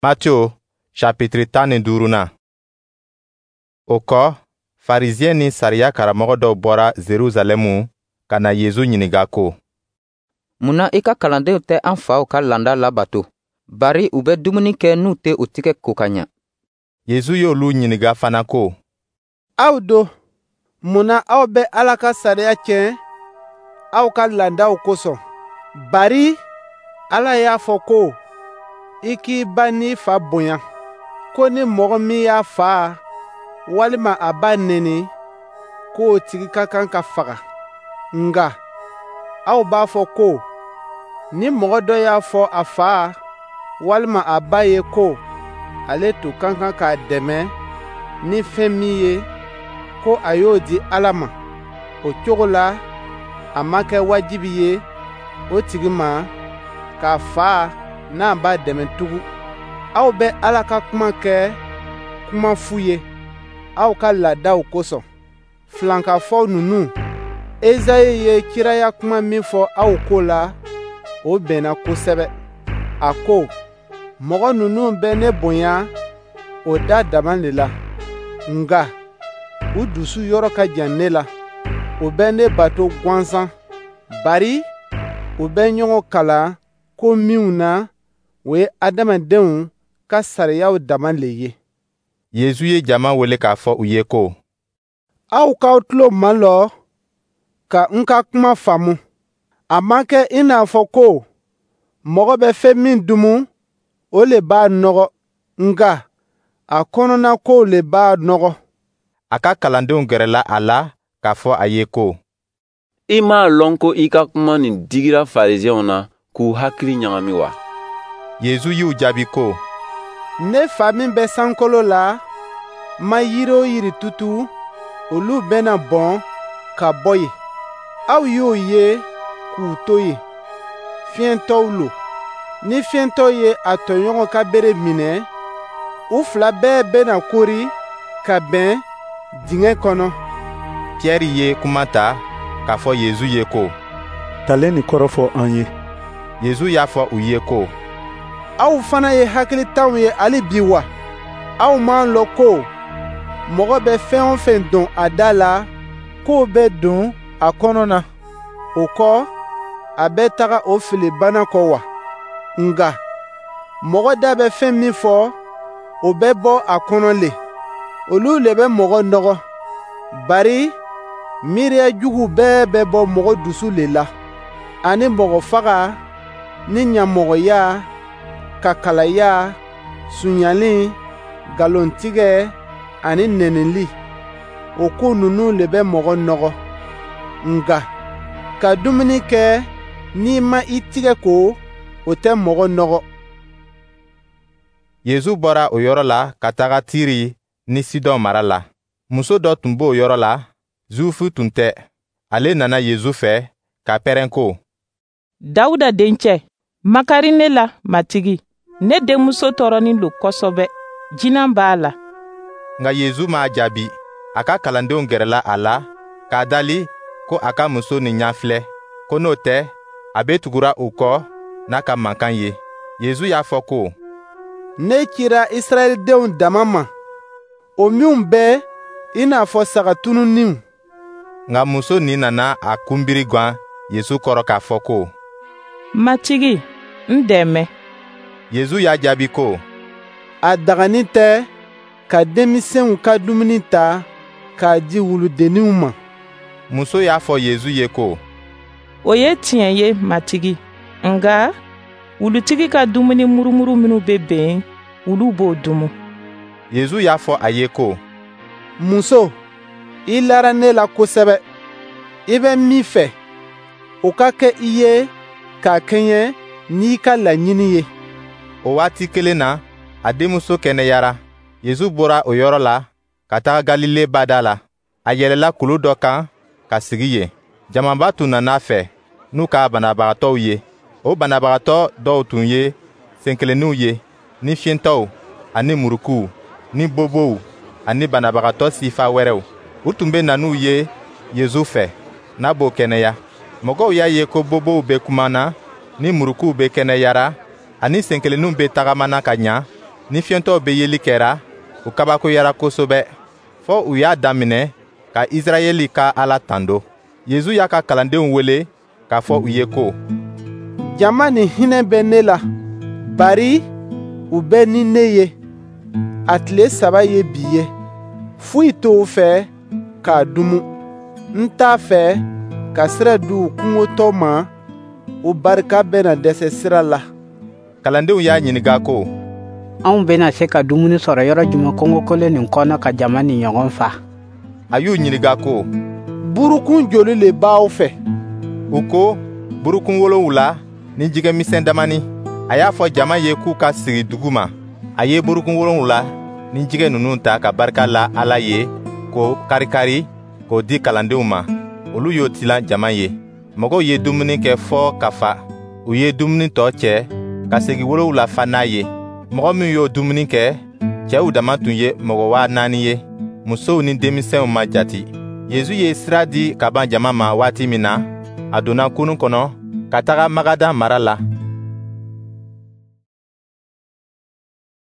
Matthieu chapitre 15nan. O kɔ, Farisiyɛn ni sariya karamɔgɔ dɔw bɔra Jerusalɛmu ka na Yezu ɲininka ko: Mun na i ka kalandenw tɛ an faw ka laada labato, bari u bɛ dumuni kɛ n'u tɛ u tigɛ ko ka ɲa? Yezu y'olu ɲininka fana ko: Aw do, mun na aw bɛ Ala ka sariya tiɲɛ aw ka laadaw kosɔn? Bari Ala y'a fɔ ko: «I k'i ba n'i fa bonya,» ko ni mɔgɔ min y'a fa walima a ba neni, k'o tigi ka kan ka faga. Nka aw b'a fɔ ko ni mɔgɔ dɔ y'a fɔ a fa walima a ba ye ko ale tun ka kan k'a dɛmɛ ni fɛn min ye, ko a y'o di Ala ma, o cogo la a ma kɛ wajibi ye o tigi ma k'a fa n'a ba dɛmɛ tugun. Aw bɛ Ala ka kuma kɛ kuma fu ye aw ka laadaw kosɔn. Filankafɔ ninnu, Ezayi ye kiraya kuma min fɔ aw ko la, o bɛnna kosɛbɛ. A ko: «Mɔgɔ ninnu bɛ ne bonya o da dama le la, nka u dusu yɔrɔ ka jan ne la. U bɛ ne bato gansan, bari u bɛ ɲɔgɔn kalan ko minw na, o ye adamadenw ka sariyaw dama le ye.» Yezu ye jama wele k'a fɔ u ye ko: Aw k'aw tulo malɔ ka n ka kuma faamu. A ma kɛ i n'a fɔ ko mɔgɔ bɛ fɛn min dumu, o le b'a nɔgɔ, nka a kɔnɔna kow le b'a nɔgɔ. A ka kalandenw gɛrɛla a la k'a fɔ a ye ko: I m'a lɔn ko i ka kuma nin digira Farisɛnw na k'u hakili ɲagami wa? Yezu y'u jaabi ko: Ne fa min bɛ sankolo la ma yiri o yiri tutu, olu bɛna bɔn ka bɔ yen. Aw y'o ye k'u to yen, fiyɛntɔw lo. Ni fiyɛntɔ ye a tɔɲɔgɔn ka bere minɛ, u fila bɛɛ bɛna kori ka bɛn dingɛ kɔnɔ. Pierre ye kuma ta k'a fɔ Yezu ye ko: Talen nin kɔrɔ fɔ an ye. Yezu y'a fɔ u ye ko: Aw fana ye hakilitanw ye hali bi wa? Aw m'a lɔn ko mɔgɔ bɛ fɛn o fɛn don a da la, k'o bɛ don a kɔnɔ na, o kɔ, a bɛ taga o fili bana kɔ wa? Nka mɔgɔ da bɛ fɛn min fɔ, o bɛ bɔ a kɔnɔ le. Olu le bɛ mɔgɔ nɔgɔ. Bari miiriya jugu bɛɛ bɛ bɔ mɔgɔ dusu le la, ani mɔgɔ faga ni ɲamɔgɔya, kakalaya, sonyali, nkalontigɛ ani nɛnili. O ko ninnu le bɛ mɔgɔ nɔgɔ. Nka ka dumuni kɛ n'i ma i tigɛ ko, o tɛ mɔgɔ nɔgɔ. Yezu bɔra o yɔrɔ la ka taga Tiri ni Sidɔn mara la. Muso dɔ tun b'o yɔrɔ la, Zuwifu tun tɛ. Ale nana Yezu fɛ ka pɛrɛn ko: Dawuda dencɛ, makari ne la, Matigi. Ne denmuso tɔɔrɔnin lo kosɛbɛ, jinan b'a la. Nka Yezu m'a jaabi. A ka kalandenw gɛrɛla a la k'a dali ko a ka muso nin ɲɛfilɛ, ko n'o tɛ, a bɛ tugura u kɔ n'a ka mankan ye. Yezu y'a fɔ ko: Ne cira Israɛlidenw dama ma, o minw bɛ i n'a fɔ saga tununninw. Nka muso nin nana a kunbiri gan Yezu kɔrɔ k'a fɔ ko: Matigi, n dɛmɛ. Yezu y'a jaabi ko: A dagani tɛ ka denmisɛnw ka dumuni ta k'a di wuludenninw ma. Muso y'a fɔ Yezu ye ko: O ye tiɲɛ ye, Matigi. Nka wulutigi ka dumuni murumuru minnu bɛ ben, wulu b'o dumu. Yezu y'a fɔ a ye ko: Muso, i lara ne la kosɛbɛ. I bɛ min fɛ, o ka kɛ i ye k'a kɛɲɛ n'i ka laɲini ye. O waati kelen na, a denmuso kɛnɛyara. Yezu bɔra o yɔrɔ la ka taga Galile bada la. A yɛlɛla kulu dɔ kan ka sigi yen. Jamaba tun nana a fɛ n'u ka banabagatɔw ye. O banabagatɔ dɔw tun ye senkelenninw ye, ni fiyentɔw, ani murukuw, ni bobow, ani banabagatɔ sifa wɛrɛw. U tun bɛ na n'u ye Yezu fɛ, n'a b'o kɛnɛya. Mɔgɔw y'a ye ko bobow bɛ kumana, ni murukuw bɛ kɛnɛyara, ani senkelenninw bɛ tagamana ka ɲa. ni fiyentɔw bɛ yeli kɛra, u kabakoyara kosɛbɛ, fɔ u y'a daminɛ ka Israɛli ka Ala tando. Yezu y'a ka kalandenw wele k'a fɔ u ye ko: «Jama nin hinɛ bɛ ne la, bari u bɛ ni ne ye, a tile 3 ye bi ye. Foyi t'u fɛ k'a dumu. N t'a fɛ ka sira di u kɔngɔtɔ ma, u barika bɛna dɛsɛ sira la.» Kalandenw y'a ɲininka ko: «Anw bɛna se ka dumuni sɔrɔ yɔrɔ jumɛn kungokolon nin kɔnɔ ka jama nin ɲɔgɔn fa?» A y'u ɲininka ko: «Burukun joli le b'aw fɛ?» U ko: «Burukun 7 ni jɛgɛ misɛn damanin.» A y'a fɔ jama ye k'u ka sigi duguma. A ye burukun 7 ni jɛgɛ ninnu ta ka barika la Ala ye k'o karikari k'o di kalandenw ma. Olu y'o tilan jama ye. Mɔgɔw ye dumuni kɛ fɔ ka fa. U ye dumuni tɔ cɛ ka segi 7 fa n'a ye. Mɔgɔ min y'o dumuni kɛ, cɛw dama tun ye mɔgɔ 4000 ye. Musow ni denmisɛnw ma jati. Yezu ye sira di ka ban jama ma waati min na, a donna kurun kɔnɔ ka taga Magadan mara la.